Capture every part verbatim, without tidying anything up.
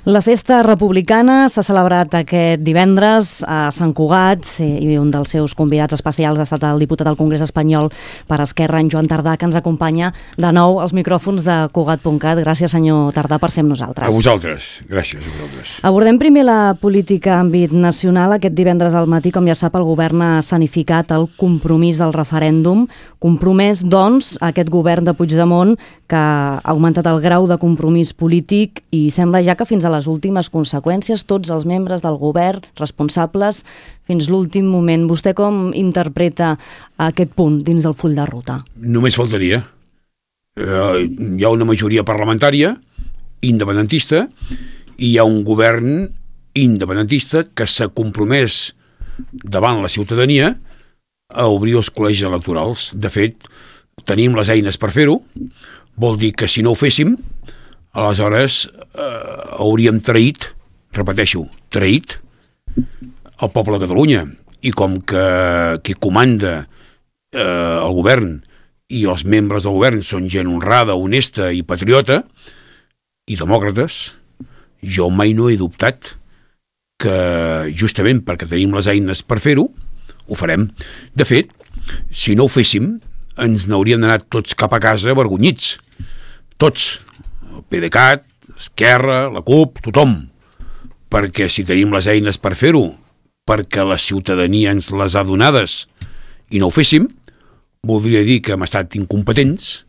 La festa republicana s'ha celebrat aquest divendres a Sant Cugat i un dels seus convidats especials ha estat el diputat al Congrés Espanyol per Esquerra, en Joan Tardà, que ens acompanya de nou als micròfons de Cugat punt cat. Gràcies, senyor Tardà, per ser amb nosaltres. A vosaltres. Gràcies a vosaltres. Abordem primer la política en àmbit nacional. Aquest divendres al matí, com ja sap, el govern ha escenificat el compromís del referèndum. Compromès, doncs, aquest govern de Puigdemont que ha augmentat el grau de compromís polític i sembla ja que fins a les últimes conseqüències, tots els membres del govern responsables fins l'últim moment. Vostè com interpreta aquest punt dins del full de ruta? Només faltaria. Eh, hi ha una majoria parlamentària independentista i hi ha un govern independentista que s'ha compromès davant la ciutadania a obrir els col·legis electorals. De fet, tenim les eines per fer-ho. Vol dir que si no ho féssim, aleshores eh, hauríem traït, repeteixo, traït el poble de Catalunya. I com que qui comanda eh, el govern i els membres del govern són gent honrada, honesta i patriota i demòcrates, jo mai no he dubtat que justament perquè tenim les eines per fer-ho, ho farem. De fet, si no ho féssim, ens n'hauríem d'anar tots cap a casa avergonyits. Tots. El PDeCAT, Esquerra, la CUP, tothom. Perquè si tenim les eines per fer-ho, perquè la ciutadania ens les ha donades i no ho féssim, voldria dir que hem estat incompetents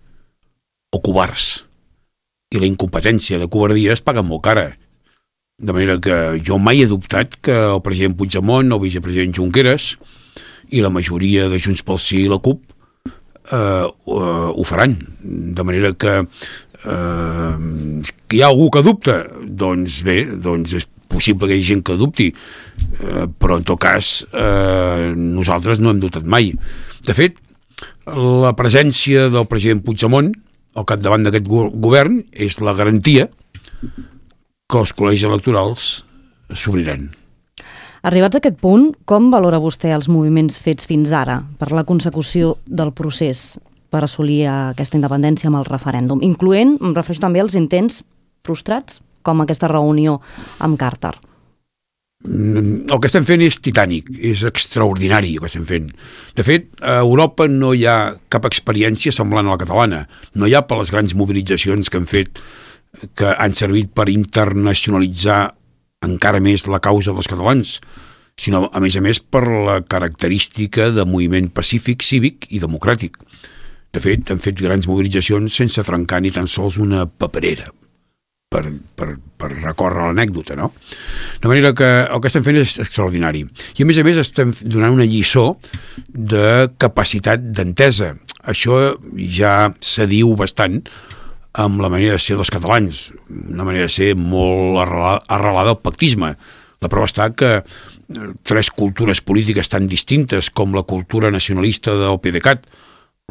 o covards. I la incompetència de covardia es paga molt cara. De manera que jo mai he dubtat que el president Puigdemont, el vicepresident Junqueras i la majoria de Junts pel Sí i la CUP eh, eh, ho faran. De manera que eh, hi ha algú que dubta? Doncs bé, doncs és possible que hi hagi gent que dubti, eh, però en tot cas eh, nosaltres no hem dubtat mai. De fet, la presència del president Puigdemont al capdavant d'aquest govern és la garantia que els col·legis electorals s'obriran. Arribats a aquest punt, com valora vostè els moviments fets fins ara per la consecució del procés per assolir aquesta independència amb el referèndum, incloent, em refereixo també als intents frustrats, com aquesta reunió amb Carter? El que estem fent és titànic, és extraordinari el que estem fent. De fet, a Europa no hi ha cap experiència semblant a la catalana. No hi ha per les grans mobilitzacions que han fet, que han servit per internacionalitzar encara més la causa dels catalans, sinó, a més a més, per la característica de moviment pacífic, cívic i democràtic. De fet, han fet grans mobilitzacions sense trencar ni tan sols una paperera, per, per, per recórrer l'anècdota, no? De manera que el que estem fent és extraordinari. I a més a més estem donant una lliçó de capacitat d'entesa. Això ja s'adiu bastant amb la manera de ser dels catalans, una manera de ser molt arrelada, arrelada al pactisme. La prova està que tres cultures polítiques tan distintes com la cultura nacionalista del PDeCAT,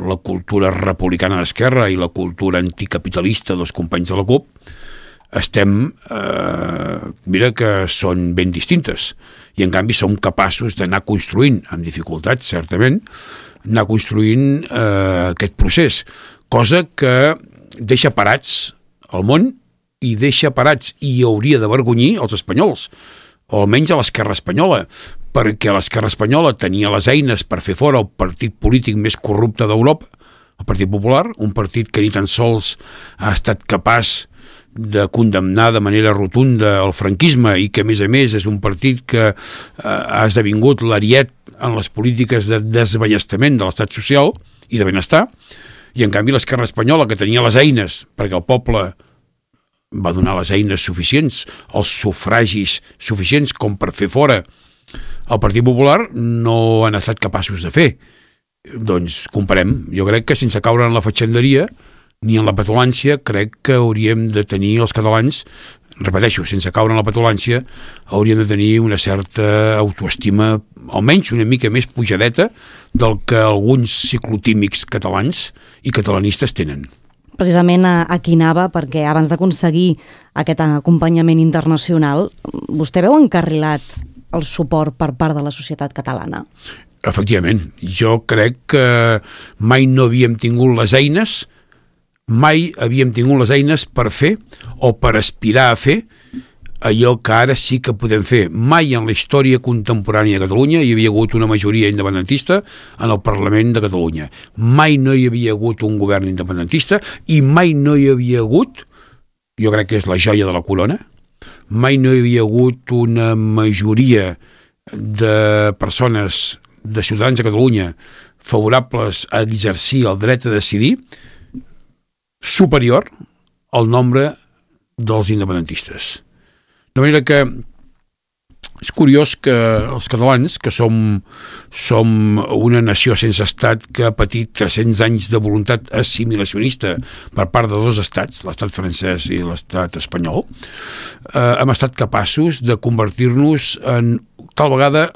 la cultura republicana d'Esquerra i la cultura anticapitalista dels companys de la CUP, estem, eh, mira que són ben distintes, i en canvi som capaços d'anar construint, amb dificultats certament, anar construint eh, aquest procés, cosa que deixa parats el món i deixa parats i hauria d'avergonyir els espanyols, o almenys a l'esquerra espanyola, perquè l'esquerra espanyola tenia les eines per fer fora el partit polític més corrupte d'Europa, el Partit Popular, un partit que ni tan sols ha estat capaç de condemnar de manera rotunda el franquisme i que, a més a més, és un partit que eh, ha esdevingut l'ariet en les polítiques de desballestament de l'estat social i de benestar, i en canvi l'esquerra espanyola, que tenia les eines, perquè el poble va donar les eines suficients, els sufragis suficients com per fer fora el Partit Popular, no han estat capaços de fer. Doncs comparem. Jo crec que sense caure en la fatxenderia ni en la petulància, crec que hauríem de tenir els catalans, repeteixo, sense caure en la petulància, hauríem de tenir una certa autoestima, almenys una mica més pujadeta del que alguns ciclotímics catalans i catalanistes tenen. Precisament aquí anava, perquè abans d'aconseguir aquest acompanyament internacional, vostè veu encarrilat el suport per part de la societat catalana? Efectivament. Jo crec que mai no havíem tingut les eines mai havíem tingut les eines per fer o per aspirar a fer allò que ara sí que podem fer. Mai en la història contemporània de Catalunya hi havia hagut una majoria independentista en el Parlament de Catalunya. Mai no hi havia hagut un govern independentista i mai no hi havia hagut, jo crec que és la joia de la corona, mai no hi havia hagut una majoria de persones, de ciutadans de Catalunya favorables a exercir el dret a decidir superior al nombre dels independentistes. De manera que és curiós que els catalans, que som, som una nació sense estat que ha patit tres-cents anys de voluntat assimilacionista per part de dos estats, l'estat francès i l'estat espanyol, eh, hem estat capaços de convertir-nos en tal vegada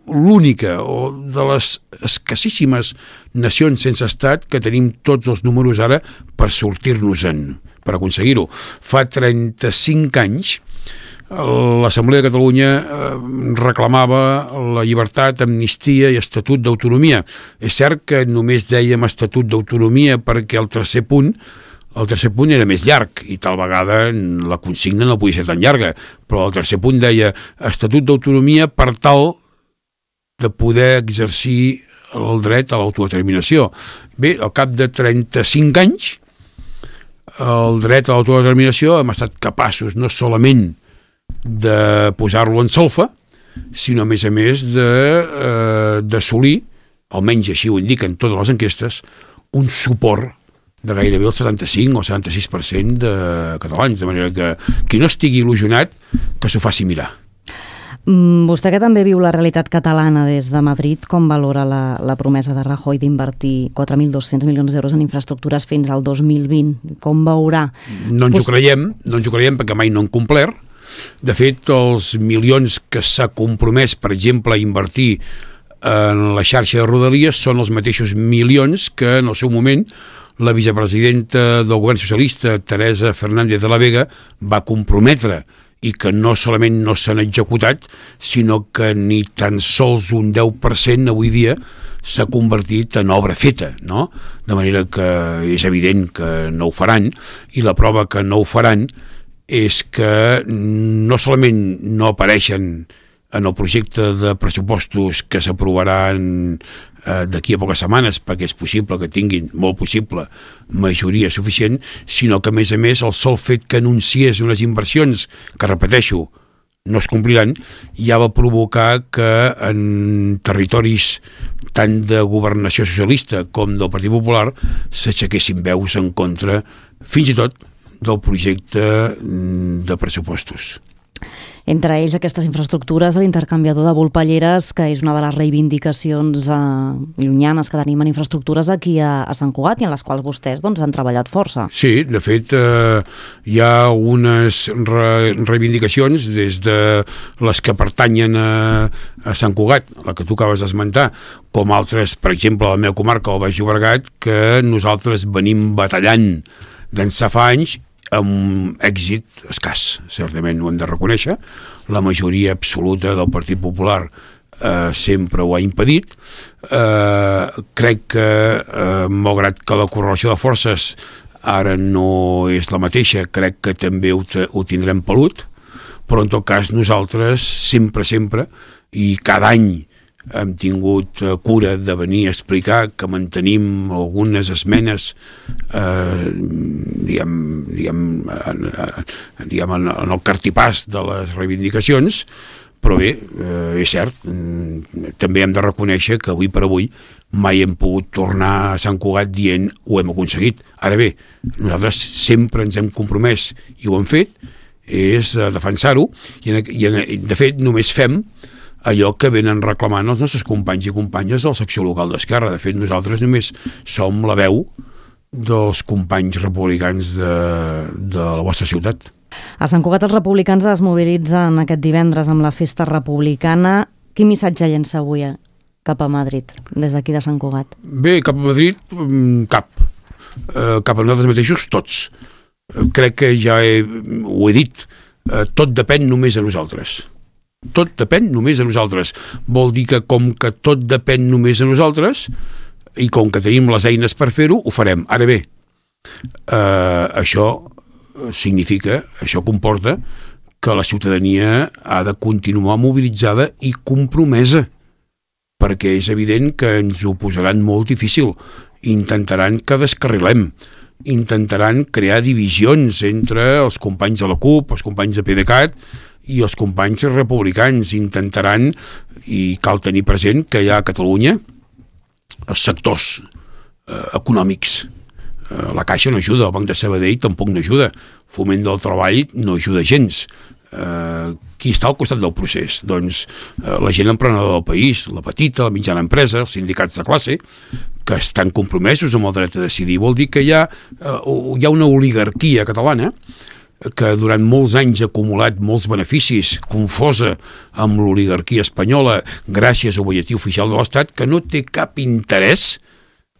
l'única o de les escassíssimes nacions sense estat que tenim tots els números ara per sortir-nos-en, per aconseguir-ho. Fa trenta-cinc anys l'Assemblea de Catalunya reclamava la llibertat, amnistia i estatut d'autonomia. És cert que només dèiem estatut d'autonomia perquè el tercer punt el tercer punt era més llarg i tal vegada la consigna no podia ser tan llarga, però el tercer punt deia estatut d'autonomia per tal de poder exercir el dret a l'autodeterminació. Bé, al cap de trenta-cinc anys el dret a l'autodeterminació hem estat capaços no solament de posar-lo en solfa, sinó a més a més d'assolir, eh, almenys així ho indiquen totes les enquestes, un suport de gairebé el setanta-cinc o setanta-sis per cent de catalans, de manera que qui no estigui il·lusionat que s'ho faci mirar. Mm, vostè que també viu la realitat catalana des de Madrid, com valora la, la promesa de Rajoy d'invertir quatre mil dos-cents milions d'euros en infraestructures fins al dos mil vint? Com veurà? No ens ho creiem, no ens ho creiem perquè mai no han complert. De fet, els milions que s'ha compromès, per exemple, a invertir en la xarxa de Rodalies són els mateixos milions que en el seu moment la vicepresidenta del govern socialista, Teresa Fernández de la Vega, va comprometre i que no solament no s'han executat, sinó que ni tan sols un deu per cent avui dia s'ha convertit en obra feta, no? De manera que és evident que no ho faran, i la prova que no ho faran és que no solament no apareixen en el projecte de pressupostos que s'aprovaran eh, d'aquí a poques setmanes, perquè és possible que tinguin, molt possible, majoria suficient, sinó que a més a més el sol fet que anunciés unes inversions que, repeteixo, no es compliran, ja va provocar que en territoris tant de governació socialista com del Partit Popular s'aixequessin veus en contra, fins i tot, del projecte de pressupostos. Entre ells aquestes infraestructures, l'intercanviador de Volpelleres, que és una de les reivindicacions eh, llunyanes que tenim en infraestructures aquí a, a Sant Cugat i en les quals vostès doncs, han treballat força. Sí, de fet eh, hi ha unes re reivindicacions des de les que pertanyen a, a Sant Cugat, la que tu acabes d'esmentar, com altres, per exemple, a la meva comarca, el Baix Llobregat, que nosaltres venim batallant d'ençà fa anys amb èxit escàs, certament ho hem de reconèixer. La majoria absoluta del Partit Popular eh, sempre ho ha impedit. Eh, crec que, eh, malgrat que la correlació de forces ara no és la mateixa, crec que també ho, ho tindrem pelut, però en tot cas nosaltres sempre, sempre, i cada any hem tingut cura de venir a explicar que mantenim algunes esmenes eh, diguem, diguem, en, diguem en, en el cartipàs de les reivindicacions, però bé, eh, és cert, també hem de reconèixer que avui per avui mai hem pogut tornar a Sant Cugat dient ho hem aconseguit. Ara bé, nosaltres sempre ens hem compromès i ho hem fet, és defensar-ho, i, en, i en, de fet només fem allò que venen reclamant els nostres companys i companyes de la secció local d'Esquerra. De fet, nosaltres només som la veu dels companys republicans de, de la vostra ciutat. A Sant Cugat els republicans es mobilitzen aquest divendres amb la festa republicana. Quin missatge llença avui cap a Madrid, des d'aquí de Sant Cugat? Bé, cap a Madrid, cap. Eh, cap a nosaltres mateixos, tots. Eh, crec que ja he, ho he dit, eh, tot depèn només de nosaltres. Tot depèn només de nosaltres. Vol dir que com que tot depèn només de nosaltres i com que tenim les eines per fer-ho, ho farem. Ara bé, eh, això significa, això comporta que la ciutadania ha de continuar mobilitzada i compromesa, perquè és evident que ens ho posaran molt difícil. Intentaran que descarrilem, intentaran crear divisions entre els companys de la CUP, els companys de PDeCAT i els companys republicans. Intentaran, i cal tenir present que hi ha a Catalunya els sectors eh, econòmics. Eh, la Caixa no ajuda, el Banc de Sabadell tampoc no ajuda, Foment del Treball no ajuda gens. Eh, qui està al costat del procés? Doncs eh, la gent emprenedora del país, la petita, la mitjana empresa, els sindicats de classe, que estan compromesos amb el dret a decidir. Vol dir que hi ha, eh, hi ha una oligarquia catalana que durant molts anys ha acumulat molts beneficis, confosa amb l'oligarquia espanyola gràcies al butlletí oficial de l'Estat, que no té cap interès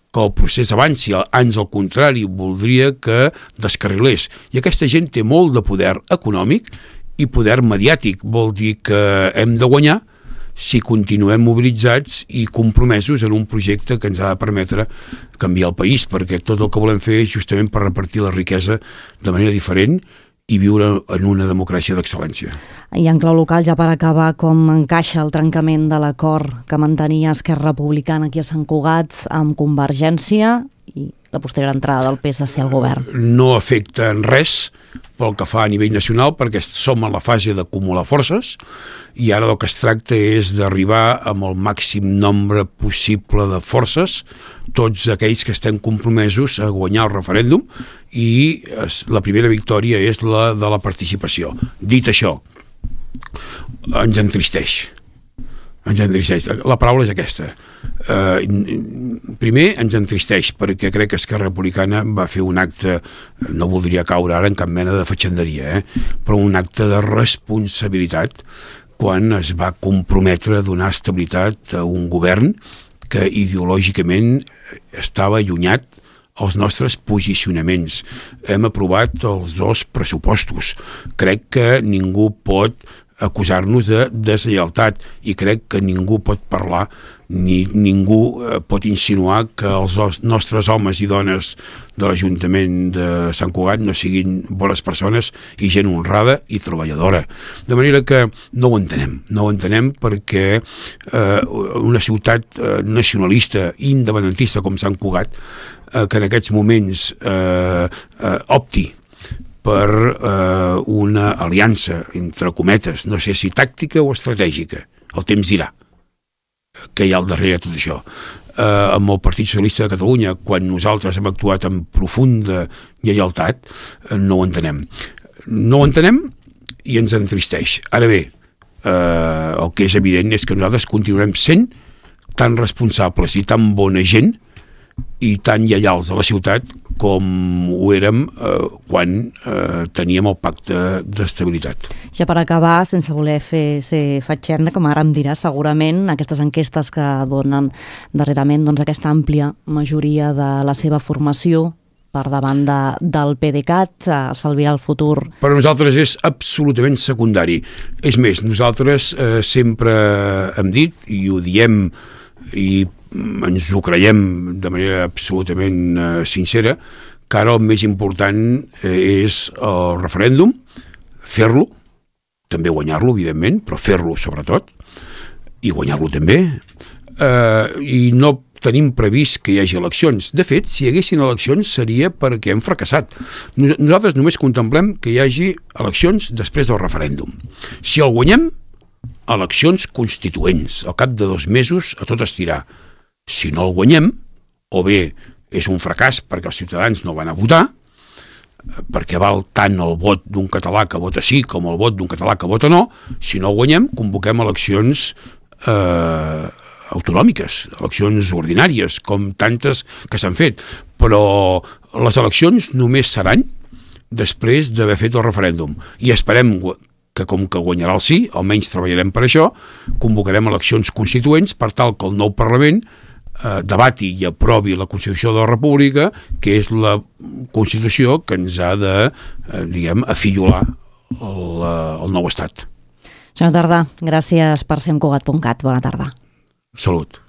que el procés avanci, ans al contrari, voldria que descarrilés. I aquesta gent té molt de poder econòmic i poder mediàtic. Vol dir que hem de guanyar si continuem mobilitzats i compromesos en un projecte que ens ha de permetre canviar el país, perquè tot el que volem fer és justament per repartir la riquesa de manera diferent i viure en una democràcia d'excel·lència. I en clau local, ja per acabar, com encaixa el trencament de l'acord que mantenia Esquerra Republicana aquí a Sant Cugat amb Convergència i la posterior entrada del P S C al govern? No afecta en res pel que fa a nivell nacional, perquè som en la fase d'acumular forces i ara el que es tracta és d'arribar amb el màxim nombre possible de forces, tots aquells que estem compromesos a guanyar el referèndum, i la primera victòria és la de la participació. Dit això, ens entristeix. Ens entristeix. La paraula és aquesta. Uh, primer, ens entristeix perquè crec que Esquerra Republicana va fer un acte, no voldria caure ara en cap mena de fatxenderia, eh? però un acte de responsabilitat quan es va comprometre a donar estabilitat a un govern que ideològicament estava allunyat els nostres posicionaments. Hem aprovat els dos pressupostos. Crec que ningú pot acusar-nos de deslleialtat i crec que ningú pot parlar ni ningú pot insinuar que els nostres homes i dones de l'Ajuntament de Sant Cugat no siguin bones persones i gent honrada i treballadora. De manera que no ho entenem, no ho entenem perquè eh, una ciutat eh, nacionalista i independentista com Sant Cugat, eh, que en aquests moments eh, eh, opti per eh, una aliança, entre cometes, no sé si tàctica o estratègica, el temps dirà, que hi ha al darrere de tot això. Eh, amb el Partit Socialista de Catalunya, quan nosaltres hem actuat amb profunda lleialtat, eh, no ho entenem. No ho entenem i ens entristeix. Ara bé, eh, el que és evident és que nosaltres continuarem sent tan responsables i tan bona gent i tan lleials a la ciutat com ho érem eh, quan eh, teníem el pacte d'estabilitat. Ja per acabar, sense voler fer ser fatxenda, com ara em dirà, segurament aquestes enquestes que donen darrerament doncs, aquesta àmplia majoria de la seva formació per davant de, del PDeCAT, es fa el futur. Per a nosaltres és absolutament secundari. És més, nosaltres eh, sempre hem dit, i ho diem i ens ho creiem de manera absolutament eh, sincera, que ara el més important eh, és el referèndum, fer-lo, també guanyar-lo, evidentment, però fer-lo sobretot, i guanyar-lo també, eh, i no tenim previst que hi hagi eleccions. De fet, si hi haguessin eleccions seria perquè hem fracassat. Nosaltres només contemplem que hi hagi eleccions després del referèndum. Si el guanyem, eleccions constituents, al cap de dos mesos a tot estirar. Si no el guanyem, o bé és un fracàs perquè els ciutadans no van a votar, perquè val tant el vot d'un català que vota sí com el vot d'un català que vota no, si no el guanyem, convoquem eleccions eh, autonòmiques, eleccions ordinàries, com tantes que s'han fet. Però les eleccions només seran després d'haver fet el referèndum. I esperem que com que guanyarà el sí, almenys treballarem per això, convocarem eleccions constituents per tal que el nou Parlament eh, debati i aprovi la Constitució de la República, que és la Constitució que ens ha de, eh, diguem, afillolar el, el nou estat. Senyor Tardà, gràcies per ser amb Cugat punt cat. Bona tarda. Salut.